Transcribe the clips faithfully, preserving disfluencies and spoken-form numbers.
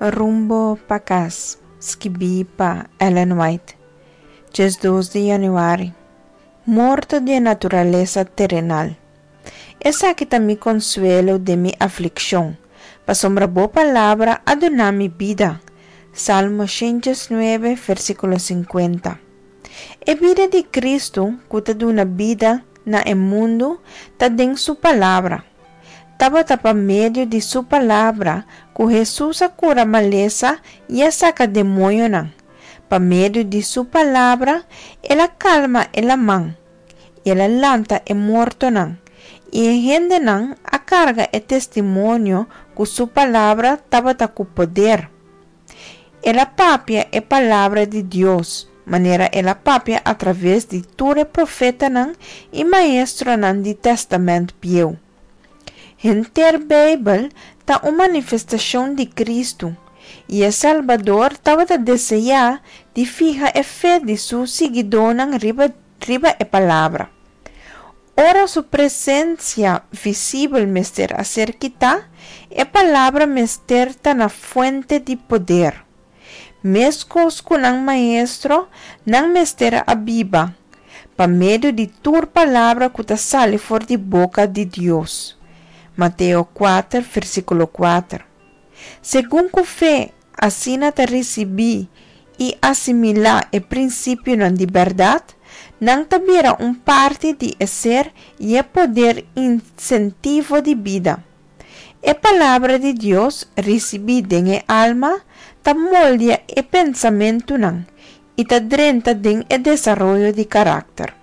Rumbo pa kas, skibí pa Ellen White, diesdos di yanüari. Morto di naturalesa terenal. Esaki ta mi konsuelo den mi aflikshon, pasobra bo palabra a duna mi bida. Salmo shen diesnuebe, versíkulo sinkuenta. E bida di Kristu, ku ta duna bida na e mundu, ta den su palabra. Tabata pa medio di su palabra ku Hesus a kura malesa i a saka demoñonan. Pa medio di su palabra el a kalma e laman, el a lanta e mortonan, i e hendenan a karga e testimonio ku su palabra tabata ku poder. El a papia e palabra di Dios, manera el a papia atraves di tur e profetanan i maestronan di Tèstamènt Bieu. Henter Beibel ta un manifestashon di Kristu, i e Salbador tabata deseá di fiha e fe di su siguidónan riba riba e Palabra. Ora su presensia visibel mester a ser kitá, e Palabra mester ta na fuente di poder. Meskos ku nan Maestro, nan mester a biba pa medio di tur palabra ku ta sali for di boka di Dios. Mateo kuater, versíkulo kuater. Segun ku fe asina ta risibí i asimilá e prinsipionan di bèrdat, nan ta bira un parti di e ser i e poder insentivo di bida. E Palabra di Dios risibí den e alma ta moldia e pensamentunan i ta drenta den e desaroyo di karakter.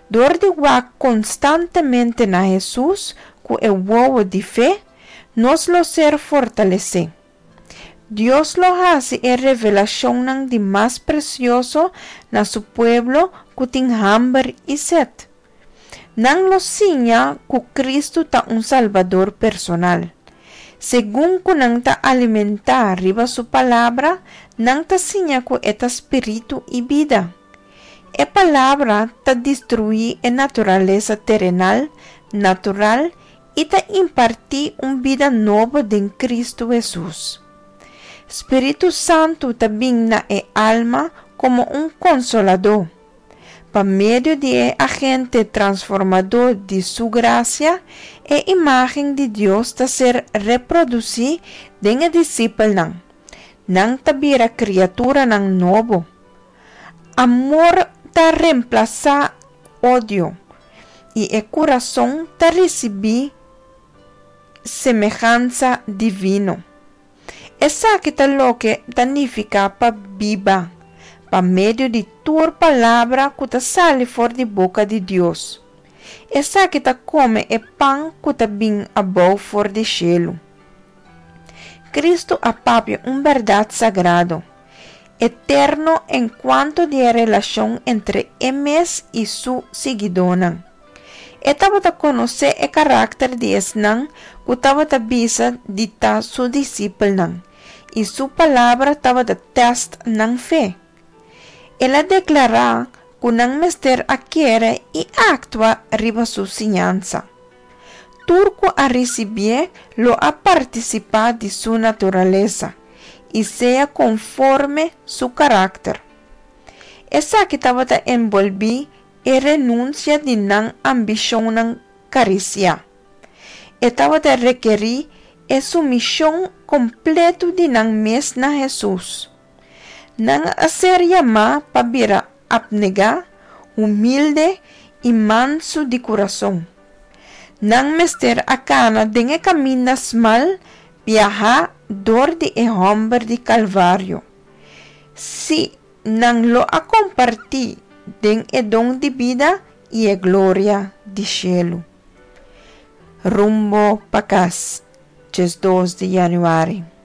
Dor di wak konstantemente na Hesus ku e wowo di fe, nos lo ser fortalesé. Dios lo hasi e revelashonnan di mas presioso na su pueblo ku tin hamber i set. Nan lo siña ku Kristu ta un Salbador personal. Segun ku nan ta alimentá riba su Palabra, nan ta siña ku e ta spiritu i bida. E Palabra ta destruí e naturalesa terenal, natural, i ta impartí un bida nobo den Kristu Hesus. Spiritu Santu ta bin na e alma komo un konsoladó. Pa medio di e agente transformadó di Su grasia, e imágen di Dios ta ser reprodusí den e disipelnan. Nan ta bira kriaturanan nobo. Amor ta remplasá odio, i e kurason ta risibí semehansa divino. Esaki ta loke ta nifiká pa biba pa medio di tur palabra ku ta sali for di boka di Dios. Esaki ta kome e pan ku ta bin abou for di shelu. Kristu a papia un bèrdat sagrado, eterno enkuanto di e relashon entre E mes i Su siguidónan. E tabata konosé e karakter di esnan ku tabata bisa di ta Su disipelnan, i Su palabra tabata tèst nan fe. El a deklará ku nan mester a kere i aktua riba Su siñansa. Tur ku a risibié lo a partisipá di Su naturalesa i sea konforme Su karakter. Esaki tabata enbolbí e renunsia di nan ambishonnan karisiá. E tabata rekerí e sumishon kompletu di nan mes na Hesus. Nan a ser yamá pa bira apnegá, humilde i mansu di kurason. Nan mester a kana den e kaminda smal biahá dor di e hòmber di Kalvario. Sí, nan lo a kompartí den e don di bida i e gloria di shelu. Rumbo pa kas, diesdos di yanüari.